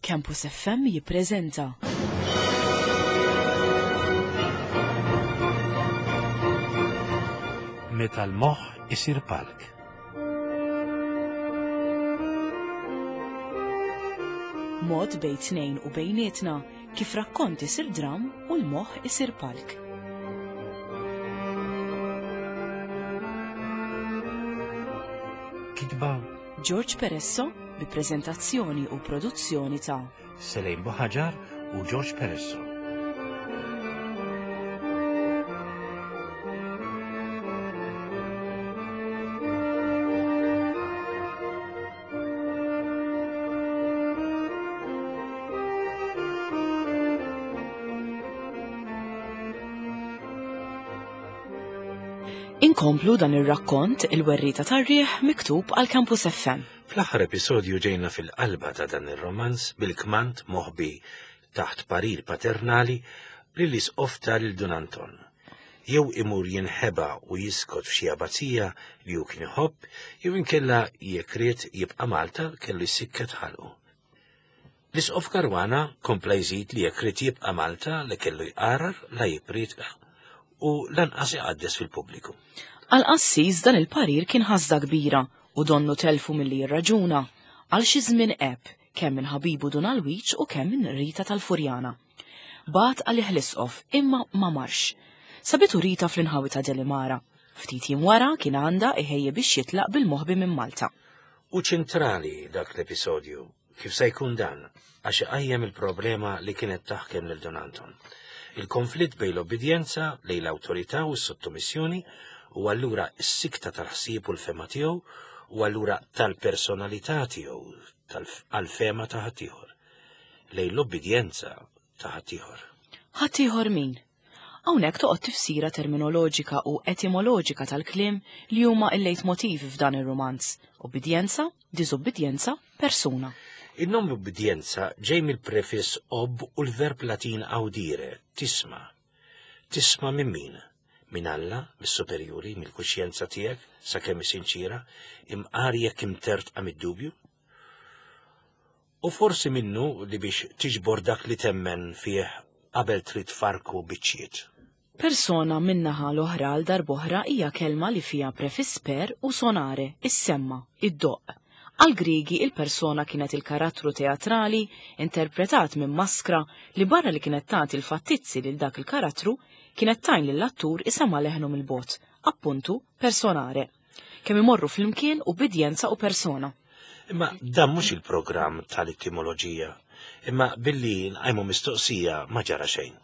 Campus FM jippreżenta. Meta l-moħħ isir palk. Mod bejn tnejn u bejnietna kif rakkont isir dram u l-moħħ isir palk. Kitba George Peresso bi preżentazzjoni u produzzjoni ta' Selejn Buħaġar u George Peresso. Inkomplu dan ir-rakkont Il-Werrieta tar-Riħ miktub għal Campus FM. Fl-aħħar episodju ġejna fil-qalba ta' dan ir-romanz bil-kmand moħbi taħt parir paternali li l-isqof ta lil Dun Anton. Jew imur jinħeba u jiskot f'xi abazija li hu kien iħobb, jew inkella jekk ried jibqa' Malta kellu jsikket ħalqu. L-Isqof Caruana kompla jżid li jekk ried jibqa' Malta li kellu jqarar la jipprietka u lanqas iqaddes fil-pubbliku. Għall-qassis dan il-parir kien ħasda kbira u donnu telfu milli jirraġuna. Għal xi żmien għeb, kemm minn ħabibu Dun Alwiġ u kemm minn Rita tal-Furjana. Bagħat għalih l-Isqof imma ma marx. Sabitu Rita fl-inħawi ta' Delimara. Ftit jiem wara kien għandha iħejji biex jitlaq bil-moħbi minn Malta. Hu ċentrali dak l-episodju Kif se jkun dan? Għax iqajjem il-problema li kienet taħkem lil Dun Anton. Il-konflitt bejn l-obbidjenza lejn l-awtorità u s-sottomissjoni u allura s-sikta tal-ħsieb u l-fehma tiegħu u allura tal-personalità tiegħu għall-fehma ta' ħaddieħor. Lejn l-obbidjenza ta' ħaddieħor. Ħaddieħor min? Hawnhekk toqgħod tifsira terminoloġika u etimoloġika tal-kliem li huma il-leitmotiv f'dan ir-rumanz, obbidjenza, diżubbidjenza, persuna. In-nom ubbidjenza ġej mill-prefiss ob u l-verb Latin audire, tisma'. Tisma' minn min? Minn Alla, mis-superjuri, mill-kuxjenza tiegħek, sakemm hi sinċiera, imqar jekk imtertqa mid-dubju? U forsi minnu li biex tiġbor dak li temmen fih qabel trid tfarrku biċċiet. Persona min-naħa l-oħra għal darb'oħra hija kelma li fiha prefiss per u sonare, issemma, iddoqq. Għall-Griegi il-persona kienet il-karattru teatrali interpretat minn maskra li barra li kienet tagħti l-fattizzi lil dak il-karattru, kienet tgħin lill-attur isemma' leħnu mill-bogħod, appuntu personare. Kemm imorru flimkien ubbidjenza u persona. Imma dan mhux il-programm tal-etimoloġija, imma billi nqajmu mistoqsija ma ġara xejn.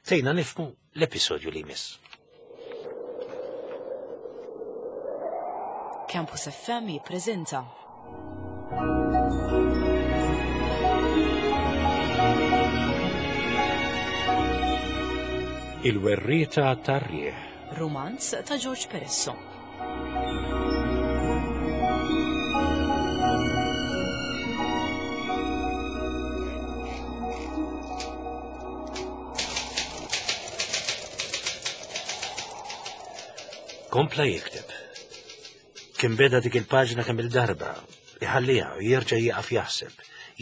Tgħinna nifhmu l-episodju li jmiss. Campus FM jippreżenta Il-werrieta tar-riħ. Rumanz ta' George Peresso. Kompla jikteb. Kien beda dik il-paġna kemm il-darba, iħalliha u jerġa' jieqaf jaħseb,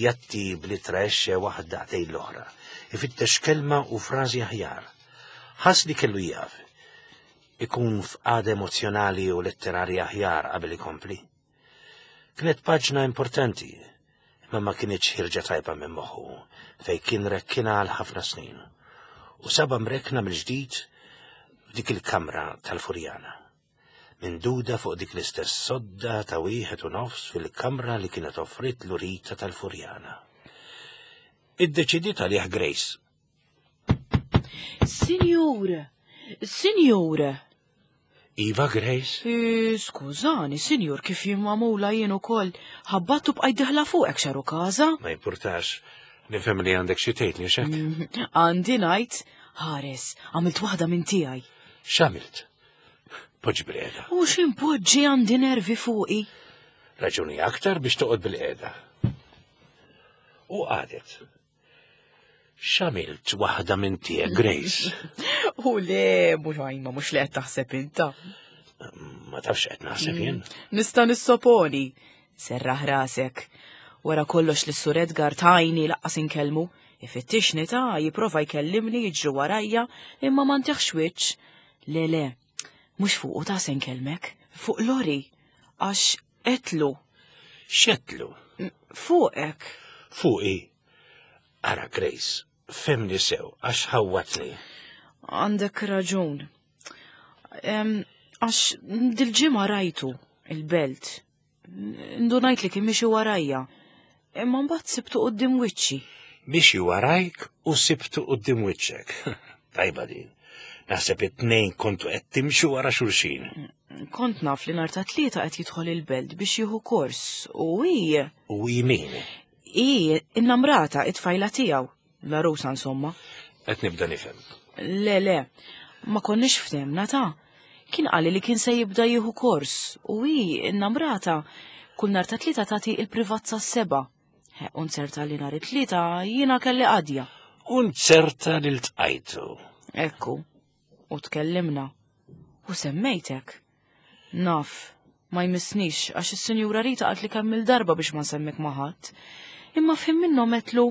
jatti bl-ittra esce waħda ħdejn l-oħra, ifittex kelma u frażi aħjar. Ħass li kellu jieqaf, ikun f'qagħda emozzjonali u letterarja aħjar qabel ikompli. Kienet paġna importanti, imma ma kinitx ħirġa tajba minn moħħu, fejn kien rekkina għal ħafna snin. U saba mrekkna mill-ġdid f'dik il-kamra tal-Furjana. Minduda fuq dik l-istess sodda ta' wieħed u nofs fil-kamra li kienet offrit l-Rita tal-Furjana. Iddeċidiet għalih Grace. Sinjur! Sinjur! Iva, Grace? E, skużani, sinjur, kif jien magħmula jien ukoll ħabbattu bqajt diħla fuqek xaru każa? Ma jimpurtax. Nifhem li għandek xi tgħidli xek. Mm, għandi ngħid, ħares, għamilt waħda minn tiegħi. X'għamilt? Poġġi bil-qiegħda. U x'impoġġi għandi nervi fuqi. Raġuni aktar biex toqgħod bil-qiegħda. U qadet. X'għamilt waħda minn tiegħek, Grace? U le, mhux għajma, mhux li qed taħseb inta. Ma tafx qed naħseb jien. Mm, nista' nissoponi. Serraħ rasek. Wara kollox li sur Edgar tajni laqqas inkellmu, ifittixni ta' jipprova jkellimni jiġri warajja imma ma ntiħx wiċċ. Le le, mhux fuqu ta' se nkellmek, fuq Lori, għax etlu. X'għedtlu? Fuqek. Fuqi. Ara Grace, femni sew għax ħawwatni. Għandek raġun. Għax dil-ġimgħa rajtu il-belt. Ndunajt li kien miexi warajja. Imma mbagħad sibtu quddiem wiċċi. Miexi warajk u sibtu quddiem wiċċek. Tajba din. Naħseb it-tnejn kontu qed timxu wara xulxin. Kont naf li nhar ta' tlieta qed jidħol il-belt biex jieħu kors u hi. U hi min? Hi innamrata it-tfajla tiegħu, l-għarusa insomma. Qed nibda nifhem. Le, le, ma konniex ftehmna ta' Kien qali li kien se jibda jieħu kors u hi innamrata kull nhar ta' tlieta tagħti il-privat sas-seba. U nzerta li nhar it-tlieta jiena kelli qadja. U nzerta li ltqajtu. Ekku, u tkellimna. U semmejtek. Naf, ma jmissnix għax is-Sinjura Rita qalt li kemm il-darba biex ma nsemmek ma' ħadd. Imma f'ħin minnhom għedtlu,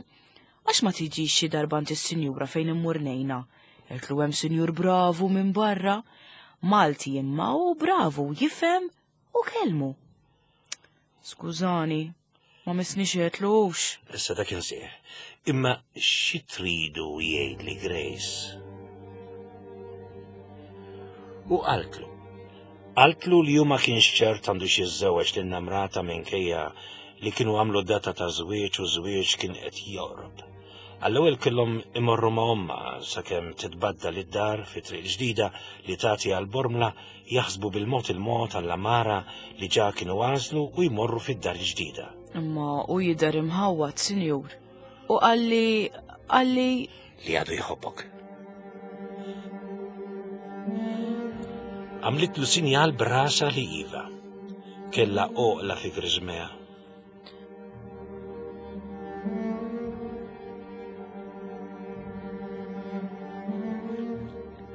għax ma tiġix xi darba għand is-Sinjura fejn immur ngħinha. Għedtlu hemm sinjur bravu minn barra, Malti imma u bravu jifhem u kellmu. Skużani, ma missnix għedtlu hux. Issa dak insih. Imma xi tridu jgħidli Grace? U qaltlu. Qaltlu li hu ma kienx ċert għandux jiżżewweġ lil namrata minkejja li kienu għamlu data ta' żwieġ u żwieġ kien qed joqrob. Għall-ewwel kellhom imorru ma' ommha sakemm titbaddal id-dar fi triq ġdida li tagħti għal Bormla jaħsbu bil-mod il-mod għall-għamara li ġa kienu għażlu u jmorru fid-dar il-ġdida. Imma hu jidher imħawwad, sinjur. U qalli, qalli. Li għadu jħobbok. Għamlitlu sinjal b'rasha li iva. Kellha għoqla fi griżmejha.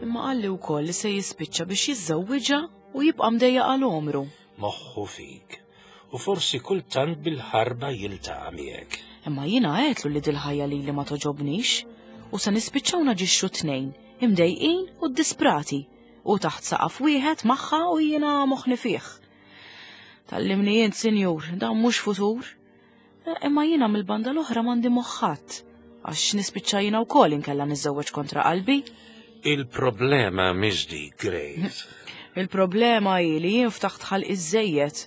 Imma qalli wkoll li se jispiċċa biex jiżżewwiġha u jibqa' mdejjaq għal għomru. Moħħu fik. U forsi kultant bil-ħarba jiltaqa' miegħek. Imma jiena għedtlu li dil-ħajja lili ma togħġobnix u se nispiċċaw naġixxu t-tnejn, imdejqin u ddisprati, hu taħt saqaf wieħed magħha u jiena moħħni fih. Tallimni int, sinjur, dan mhux futur. Eh, imma jiena mill-banda l-oħra m'għandi moħħat, għax nispiċċa jiena wkoll inkella niżżewweġ kontra qalbi. Il-problema mhix dik, Grace. Il-problema hi li jien ftaħt ħalq iżejjed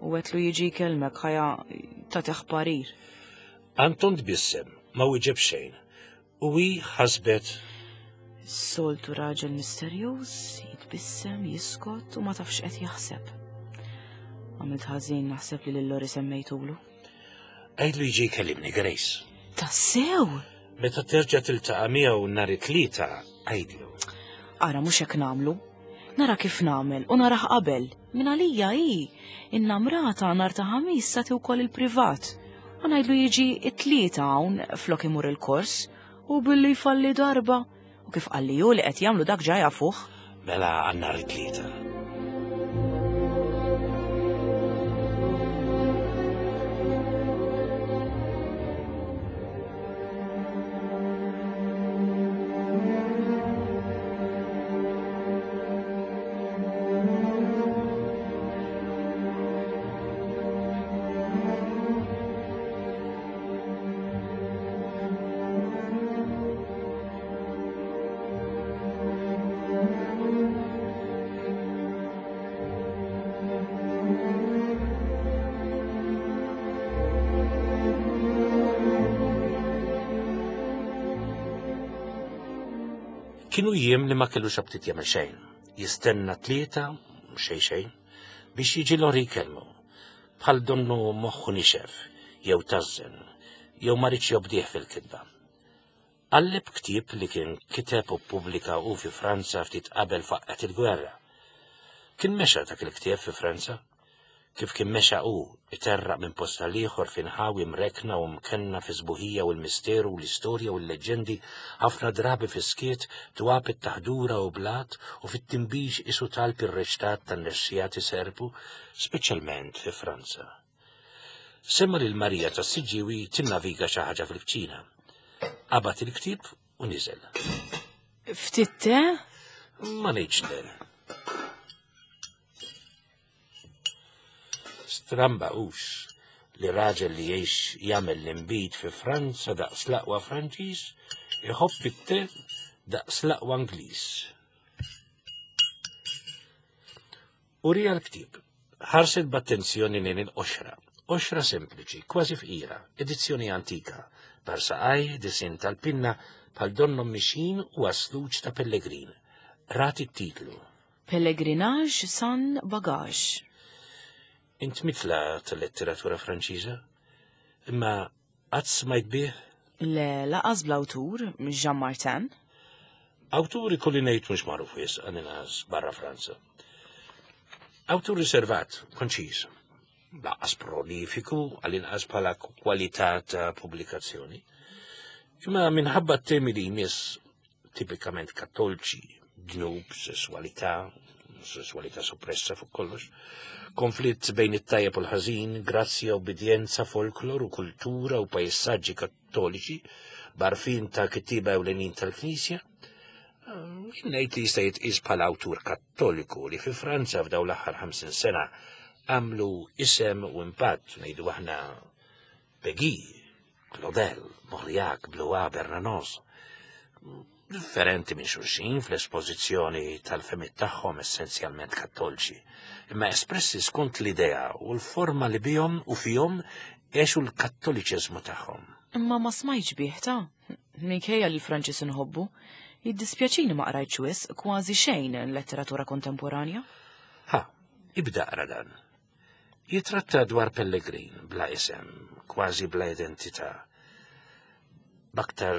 u għetlu jiġi jkellmek ħaja tagħtih parir. Anton tbissem, ma wieġeb xejn. U hi ħasbet. Is-soltu raġel misterjuż, jitbissem, jiskot u ma tafx qed jaħseb. Għamilt ħażin naħseb li lil Lori semmejtulu. Għidlu jiġi jkellimni, Grace. Tassew? Meta terġa' tiltaqa' miegħu nhar it-Tlieta, għidlu. Ara mhux hekk nagħmlu. Nara kif nagħmel u narah qabel. Min għalija hi, in-namrata nhar ta' Ħamis tagħti wkoll il-privat. U ngħidlu jiġi it-Tlieta hawn flok imur il-kors u billi jfalli darba. U kif qalli hu li qed jagħmlu dak ġa jafuh. Mela għal nhar it-Tlieta. Kienu jiem li ma kellux aptit jagħmel xejn. Jistenna tlieta, xejn xejn, biex jiġi Lori jkellmu. Bħal donnu moħħu nixef, jew tażżen, jew ma riedx jobdih fil-kitba. Qalleb ktieb li kien kiteb u ppubblika hu fi Franza ftit qabel faqqgħet il-gwerra. Kien mexa dak il-ktieb fi Franza. Kif kien mexa hu, iterraq minn post għal ieħor fi nħawi mrekkna u mkenna fis-sbuħija u l-misteru u l-istorja u l-leġġendi, ħafna drabi fis-skiet, twab it-taħdura u blat u fit-tinbix qisu talb irreċtat tan-nexxijat iserpu, speċjalment fi Franza. Sema' lil Marija tas-Siġġiewi tinnaviga xi ħaġa fil-kċina. Qabad il-ktieb u niżel. Ftit te? Ma ngħidx le. Stramba hux li raġel li jgħix jagħmel l-inbid fi Franza daqs l-aqwa Franċiż iħobb it-te daqs l-aqwa Ingliż. Urija l-ktieb. Ħarset b'attenzjoni lejn il-qoxra. Qoxra sempliċi, kważi fqira, edizzjoni antika, par saqaj, disinn tal-pinna, bħal donnhom mixjin u għasluġ ta' pellegrin. Rat it-titlu. Pellegrinage sans bagage. Int mitla tal-letteratura Franċiża? Imma qatt smajt bih? Le, laqas bl-awtur, Jean Martin. Awtur ikolli ngħid mhux magħruf wisq għall-inqas barra Franza. Awtur riservat, konċiż, laqas prolifiku għall-inqas bħala kwalità ta' pubblikazzjoni. Imma minħabba t-temi li jmiss tipikament kattolċi, dnub, sesswalità, sesswalità soppressa fuq kollox, konflitt bejn it-tajjeb u l-ħażin, grazzja, obbedjenza, folklor u kultura u pajsaġġi kattoliċi, barfin ta' kittiba ewlenin tal-Knisja, jien ngħid li jista' jitqies bħala awtur kattoliku li fi Franza f'dawn l-aħħar 50 sena għamlu isem u impatt, ngħidu aħna Peggy, Claudel, Mauriac, Blois, Bernanos. Differenti minn xulxin fl-espożizzjoni tal-fehmiet tagħhom essenzjalment kattolċi, imma espressi skont l-idea u l-forma li bihom u fihom għexu l-kattoliċeżmu tagħhom. Imma ma smajtx bih ta'. Minkejja li l-Franċiż inħobbu, jiddispjaċini ma qrajtx wisq, kważi xejn letteratura kontemporanja. Ha, ibda qra dan. Jitratta dwar pellegrin bla isem, kważi bla identità. B'aktar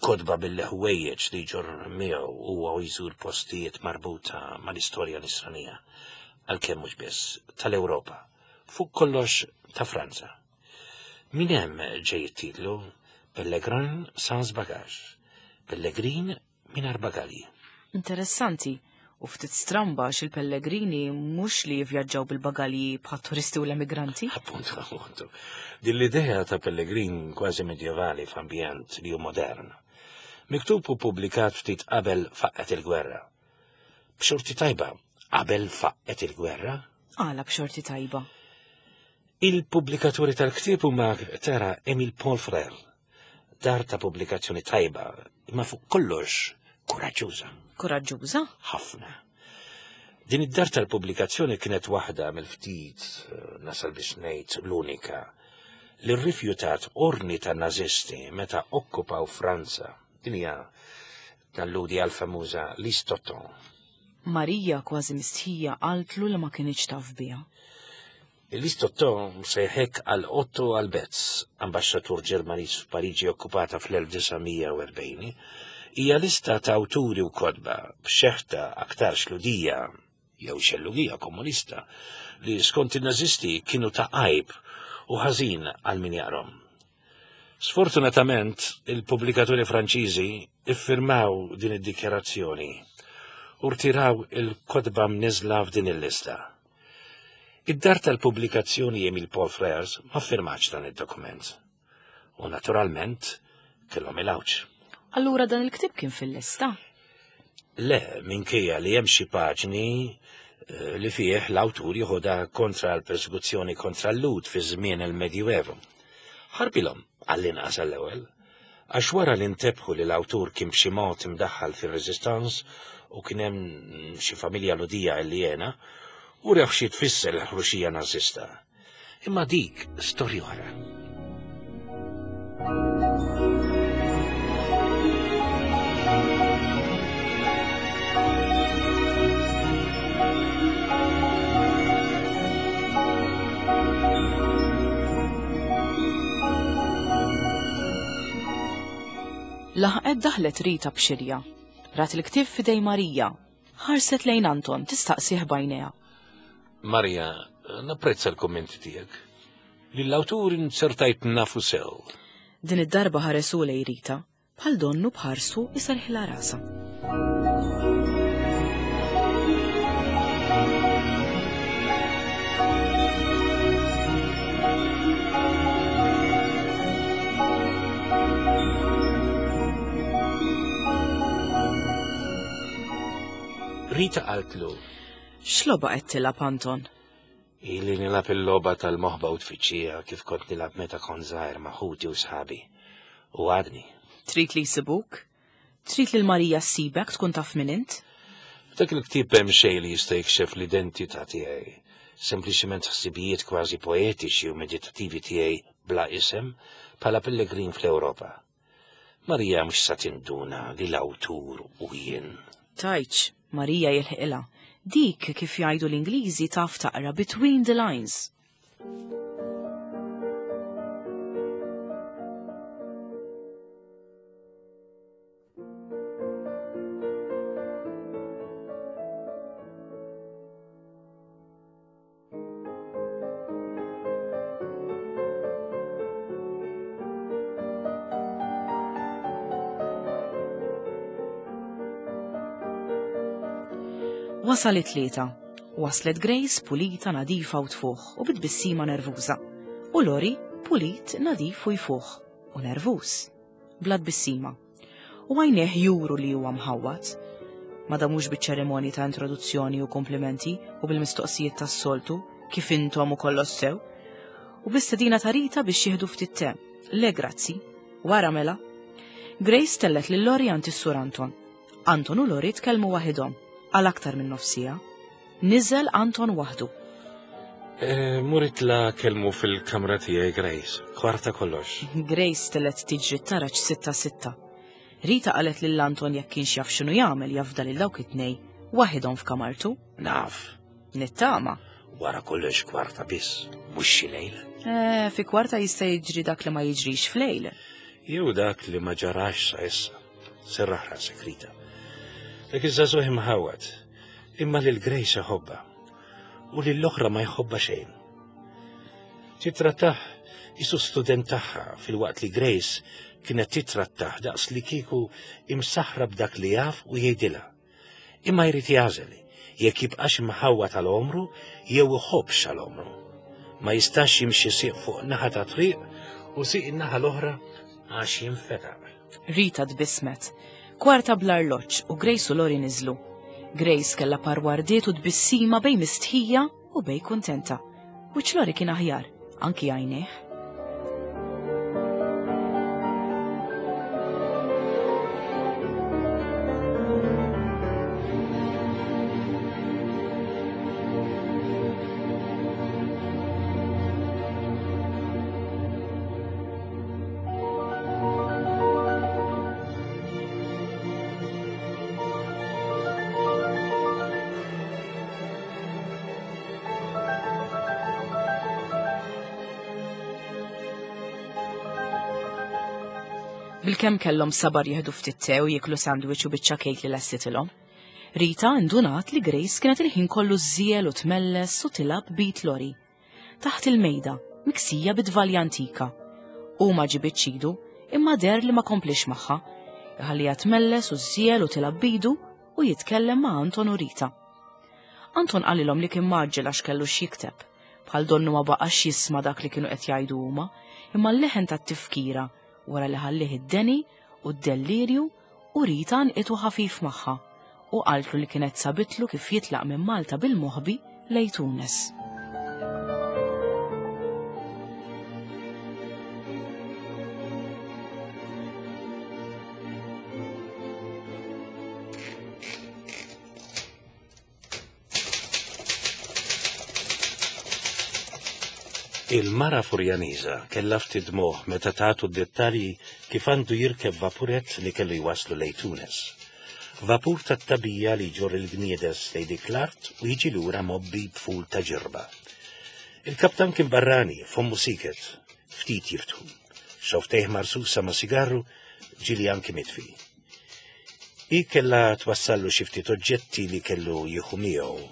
kotba bil-ħwejjeġ li jġorr miegħu huwa u jżur postijiet marbuta mal-istorja nisranija, għalkemm mhux biss, tal-Ewropa, fuq kollox ta' Franza. Min hemm ġej it-titlu Pellegrin sans bagage, Pellegrin mingħajr bagalji. Interessanti, u ftit stramba għax il-pellegrini mhux li jivvjaġġaw bil-bagalji bħat-turisti u l-emigranti. Appuntu, appuntu. Din l-idea ta' pellegrin kważi medjevali f'ambjent li hu modern. Miktub u pubblikat ftit qabel faqqgħet il-gwerra. B'xorti tajba, qabel faqqgħet il-gwerra? Għala b'xorti tajba? Il-pubblikaturi tal-ktieb huma tara Emile Paul Frère, dar ta' pubblikazzjoni tajba, imma fuq kollox kuraġġuża. Kuraġġuża? Ħafna. Din id-dar tal-pubblikazzjoni kienet waħda mill-ftit, nasal biex ngħid l-unika, li rrifjutat orni ta' nazisti meta okkupaw Franza. Din hija talludi għal famuża Listoton. Marija kważi mistħija qaltlu li ma kinitx taf biha. Il-Listotto msejħek għal Otto Albetz, ambaxxatur Ġermaniż f'Pariġi okkupata fl-1940, hija lista ta' awturi u kotba b'xeħta aktarx Lhudija jew xellugija komunista li skont in-Nażisti kienu ta' għajb u ħażin għal min jaqrahom. Sfortunatament, il-pubblikaturi Franċiżi iffirmaw din id-dikjarazzjoni u rtiraw il-kotba mniżżla f'din il-lista. Id-dar tal-pubblikazzjoni Emile Paul Frères ma ffirmatx dan id-dokument. U naturalment kellhom il-għawġ. Allura dan il-ktieb kien fil-lista? Le, minkejja li hemm xi paġni eh, li fih l-awtur jieħodha kontra l-persekuzzjoni kontra l-Lhud fi żmien il-Medjuevu. Ħarbilhom għall-inqas għall-ewwel, għax wara li ntebħu li l-awtur kien b'xi mod imdaħħal fir-Resistance u kien hemm xi familja Lhudija li jena, u rew xi tfisser l-ħruxija Nażista. Imma dik storja oħra. Laħqet daħlet Rita b'xirja. Rat il-ktieb f'idej Marija. Ħarset lejn Anton tistaqsih b'għajnejha. Marija, napprezza l-kummenti tiegħek. Lill-awtur inzertajt nafu sew. Din id-darba ħares hu lejn Rita. Bħal donnu b'ħarsu jserrħilha rasha. Rita qaltlu. X'logħba qed tilgħab Anton? Ili nilgħab il-logħba tal-moħba u tfittxija kif kont nilgħab meta kont żgħir ma' ħuti u sħabi. U għadni. Trid li jsibuk? Trid lil Marija ssibek tkun taf min int? F'dak il-ktieb hemm xejn li jista' jikxef l-identità tiegħi. Sempliċement ħsibijiet kważi poetiċi u meditattivi tiegħi bla isem bħala pellegrin fl-Ewropa. Marija mhux sa tinduna li l-awtur hu jien. Tgħidx, Marija jilħqilha. Dik, kif jgħidu l-Ingliżi, taf taqra between the lines. Wasal it-tlieta. Waslet Grace pulita, nadifa u tfuħ u bitbissima nervuża. U Lori pulit, nadif u jfuħ u nervuż. Bla tbissima. U għajnejh juru li huwa mħawwad. Ma damux biċ-ċerimonji ta' introduzzjoni u komplimenti u bil-mistoqsijiet tas-soltu, kif intom u kollox sew. U bistedina ta' Rita biex jieħdu ftit te. Le grazzi. Wara mela. Grace tellet lil Lori għand is-Sur Anton. Anton u Lori tkellmu waħidhom għal aktar minn nofsija. Niżel Anton waħdu. Eh, Murit la kelmu fil-kamra tiegħi Grace, kwarta kollox. Grace telet tiġri taraġ sitta sitta. Rita qalet lil Anton jekk kienx jaf x'inhu jagħmel jafda lil dawk it-tnej waħidhom f'kamartu. Naf. Nittama. Wara kollox kwarta biss, mhux xi lejl. Eh, fi kwarta jista' jiġri dak li ma jiġrix f'lejl. Jew dak li ma ġarax sa issa. Serraħ rasek, Rita. Dak iż-żagħżugħ imħawwad, imma lil Grace iħobbha u lill-oħra ma jħobbha xejn. Titrattah isu student tagħha filwaqt li Grace kienet titrattah daqs li kieku imsaħra b'dak li jaf u jgħidilha. Imma jrid jagħżel jekk jibqax imħawwa tal-omru jew iħobbx għal-omru. Ma jistax jimxi sieq fuq naħa ta' triq u sieq in-naħa l-oħra għax jinfetaq. Rita tbissmet. Kwarta bl-arloġġ u Grace u Lori niżlu. Grace kellha par wardiet u tbissima bejn mistħija u bejn kuntenta. Wiċċ Lori kien aħjar, anki għajnejh. Bilkemm kellhom sabar jieħdu ftit te u jieklu sandwich u biċċa kejk li lestitilhom. Rita indunat li Grace kienet il-ħin kollu żżiel u tmelles u tilgħab b'id Lori. Taħt il-mejda, miksija bi tvalja antika. Hu ma ġibidx idu, imma deher li ma kompliex magħha. Iħalliha tmelles u żżiegħel u tilgħab b'idu u jitkellem ma' Anton u Rita. Anton qalilhom li kien mgħaġġel għax kellu x'jikteb. Bħal donnu ma baqax jisma' dak li kienu qed jgħidu huma, imma l-leħen tat-tifkira wara li ħallih id-deni u d-dellirju u Rita għannqitu ħafif magħha u qaltlu li kienet sabitlu kif jitlaq minn Malta bil-moħbi lejn Tunes. Il-mara Furjaniża kellha ftit dmugħ meta tagħtu d-dettalji kif għandu jirkeb vapurett li kellu jwasslu lejn Tunes. Vapur tat-tagħbija li jġorr il-gniedes lejn dik l-art u jiġi lura mgħobbi b'ful ta' ġirba. Il-kaptan kien barrani, fommu siket, ftit jiftħu. Xofftejh marsusa ma' sigarru, ġieli anki mitfi. Hi kellha twassallu xi ftit oġġetti li kellu jieħu miegħu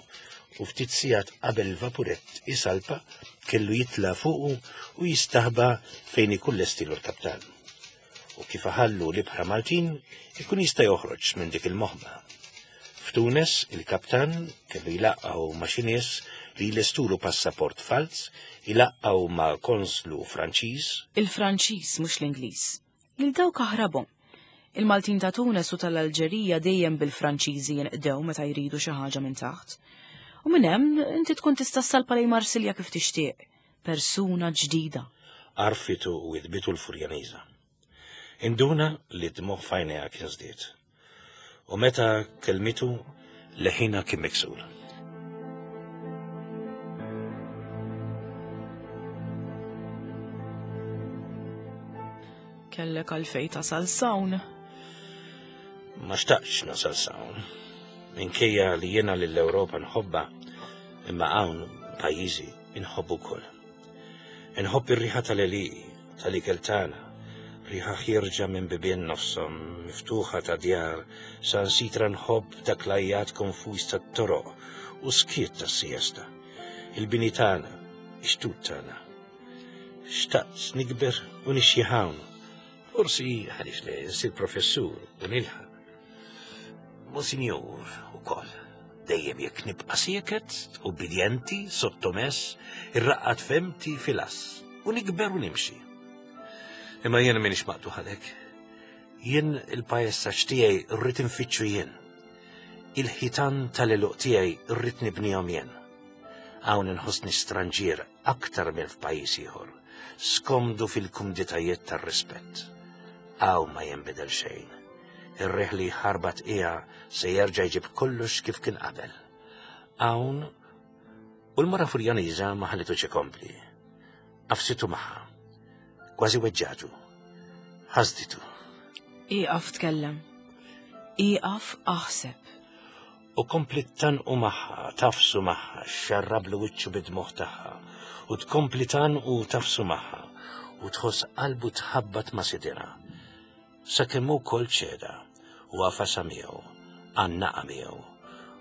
u ftit sigħat qabel il-vapurett isalpa kellu jitla' fuqu u jistaħba fejn ikun lestilu l-kaptan. U kif iħallu l-ibħra Maltin ikun jista' joħroġ minn dik il-moħba. F'Tunes il-kaptan kellu jlaqqgħu ma' xi nies li jlestulu passaport falz, ilaqqgħu ma' konslu Franċiż. Il-Franċiż mhux l-Ingliż. Lil dawk aħrabhom. Il-Maltin ta' Tunes u tal-Alġerija dejjem bil-Franċiżi jinqdew meta jridu xi ħaġa minn taħt. U minn hemm inti tkun tista' ssalpa lejn Marsilja kif tixtieq. Persuna ġdida. Għarfitu u idbitu l-Furjaniża. Induna li d-dmugħ f'għajnejha kien żdied. U meta kellmitu, leħinha kien miksur. Kellek għalfej tasal sawn. Ma xtaqx nasal sawn. Minkejja li jiena lill-Ewropa nħobba, imma hawn pajjiżi inħobbu wkoll. Inħobb ir-riħa tal-għelieqi, tal-ikel tagħna, riħa ħierġa minn bibien nofshom miftuħa ta' djar, sansitra nħobb dak l-għajjat konfuż tat-toroq u skiet tas-siesta. Il-bini tagħna, ix-xtut tagħna. Xtaqt nikber u nixjieħ hawn. Forsi għaliex le nsir professur u nilħaq. Monsinjur ukoll. Dejjem jekk nibqa' sieket, ubbidjenti, sottomess, irraqqad femti fil-ass u nikber u nimxi. Imma jien m'iniex maqtugħ għalhekk. Jien il-pajessaġġ tiegħi rrid infittxu jien. Il-ħitan tal-għeluq tiegħi rrid nibnihom jien. Hawn inħossni stranġier aktar minn f'pajjiż ieħor, skomdu fil-kumditajiet tar-rispett. Hawn ma jinbidel xejn. Ir-riħ li jħarbat qiegħa se jerġa' jġib kollox kif kien qabel. Hawn u l-mara Furjaniża ma ħallitux ikompli. Qafsitu magħha. Kważi weġġatu. Ħasditu. Ieqaf tkellem. Ieqaf aħseb. U kompliet tgħannqu magħha, tagħfsu magħha, xxarrablu wiċċu bid-dmugħ tagħha, u tkompli tgħannqu u tagħfsu magħha, u tħoss qalbu tħabbat ma' sidirha. Sakemm hu wkoll ċeda, u għafasha miegħu, għannaqha miegħu,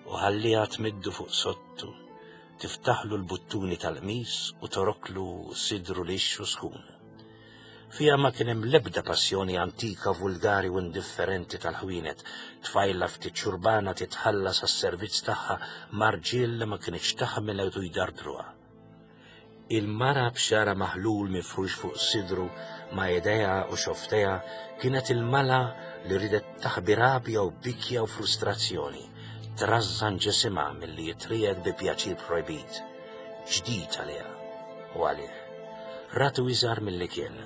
u ħallieha tmiddu fuq sodtu, tiftaħlu l-buttuni tal-qmis u toroklu sidru lixx u sħun. Fiha ma kien hemm l-ebda passjoni antika, vulgari u indifferenti tal-ħwienet, tfajla ftit xurbana titħallas għas-servizz tagħha ma' rġiel li ma kinitx taħmel u jdardruha. Il-mara b'xagħarha maħlul mifrux fuq sidru ma' idejha u xofftejha kienet il-mala li riedet taħbi rabja u bikja u frustrazzjoni, trażżan ġisimha milli jitriegħed bi pjaċir projbit, ġdid għaliha u għalih. Ratu iżgħar milli kien,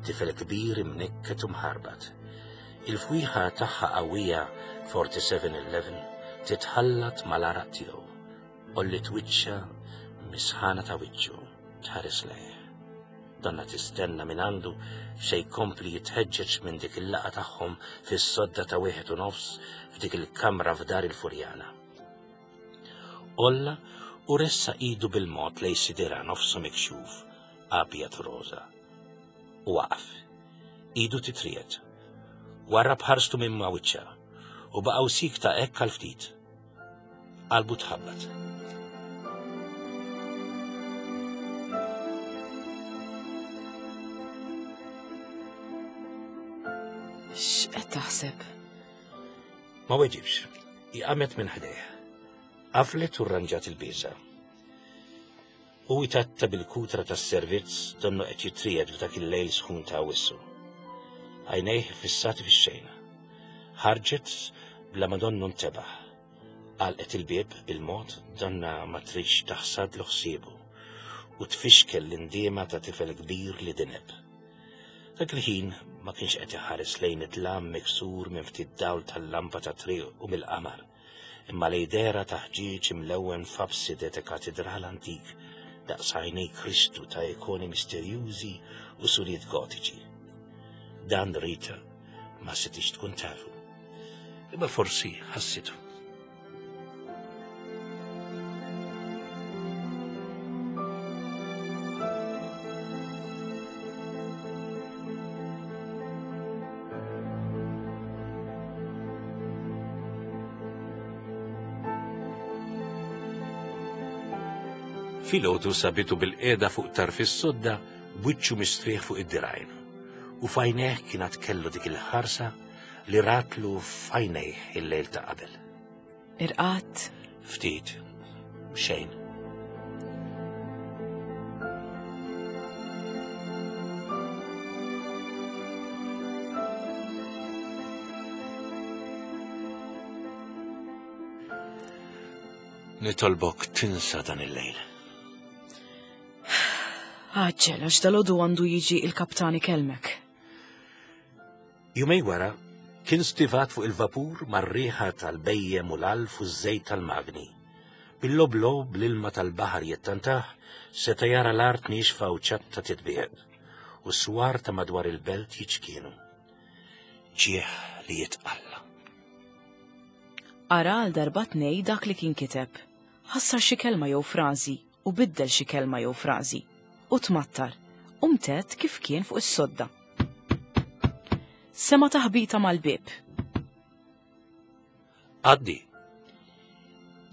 tifel kbir imnikket u mħarbat. Il-fwieħa tagħha qawwija 4711 titħallat mal-għaraq tiegħu. Għolliet wiċċha mis-sħana ta' wiċċu tħares lejh. Donna tistenna minn għandu x'se jkompli jitħeġġeġ minn dik il-laqgħa tagħhom fis-sodda ta' wieħed u nofs f'dik il-kamra f'dar il-Furjana. Għolla u ressaq idu bil-mod lejn sidirha nofsu mikxuf, abjad u roża. U waqaf. Idu titriegħed. Warrab ħarstu minn ma' wiċċha u baqgħu siekta hekk għal ftit. Qalbu tħabbat. X'qed taħseb? Ma weġibx. Hi qamet minn ħdejh. Qaflet u rranġat il-biża. Hu jtatta bil-kutra tas-servizz donnu qed jitriegħed f'dak il-lejl sħun ta' Awwissu. Għajnejh iffissati fix-xejn. Ħarġet bla ma donnu ntebaħ. Għalqet il-bieb bil-mod donna ma tridx taħsadlu ħsiebu u tfixkel l-indiema ta' tifel kbir li dineb. Dak il-ħin ma kienx qed iħares lejn id-dlam miksur minn ftit dawl tal-lampa tat-triq u mill-qamar, imma lejn dehra ta' ħġieġ imlewwen f'abside ta' katidral antik daqs għajnej Kristu ta' ikoni misterjużi u suriet gotiċi. Dan Rita ma setgħetx tkun tafu, imma forsi ħassitu. Filgħodu sabitu bil-qiegħda fuq tarf is-sodda b'wiċċu mistrieħ fuq id-dirgħajn. U f'għajnejh kien għad kellu dik il-ħarsa li ratlu f'għajnejh il-lejl ta' qabel. Irqadt? Ftit. Xejn. Nitolbok tinsa dan il-lejl. Għaġġel, għax dalodu għandu jiġi il-kaptan ikellmek. Jumej wara, kien stivat fuq il-vapur mar-riħa tal-bejjem u l-alf u ż-żejt tal-magni. Bil-loblo bl-ilma tal-baħar jittantah, seta' jara l-art niexfa u ċatta titbiegħed, u s-swar ta' madwar il-belt jiċkienu. Ġieħ li jitqalla. Qara għal darba tnej dak li kien kiteb. Ħassar xi kelma jew frażi u biddel xi kelma jew frażi. U tmattar. U mtedd kif kien fuq is-sodda. Sema' taħbita mal-bieb. Għaddi.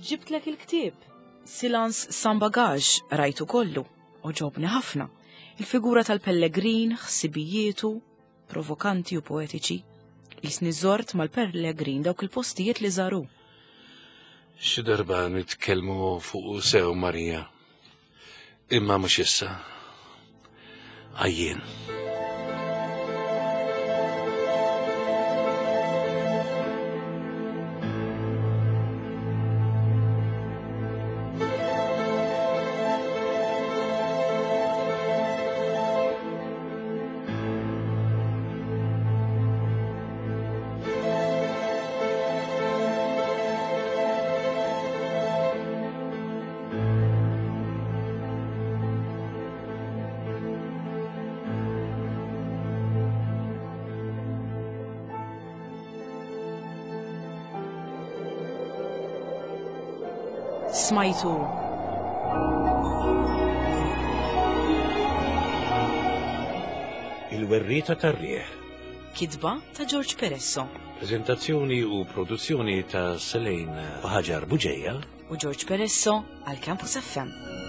Ġibtlek il-ktieb. Silence sans bagage, rajtu kollu. Għoġobni ħafna. Il-figura tal-pellegrin, ħsibijietu, provokanti u poetiċi. Jisni żort mal-pellegrin dawk il-postijiet li żaru. Xi darba nitkellmu fuq sew Marija. Imma mhux issa. Għajjien. Smajtu. Il-werrieta tar-riħ. Kitba ta' George Peresso. Prezentazzjoni u produzzjoni ta' Selene Ħaġar Buġeja u George Peresso għal Campus FM.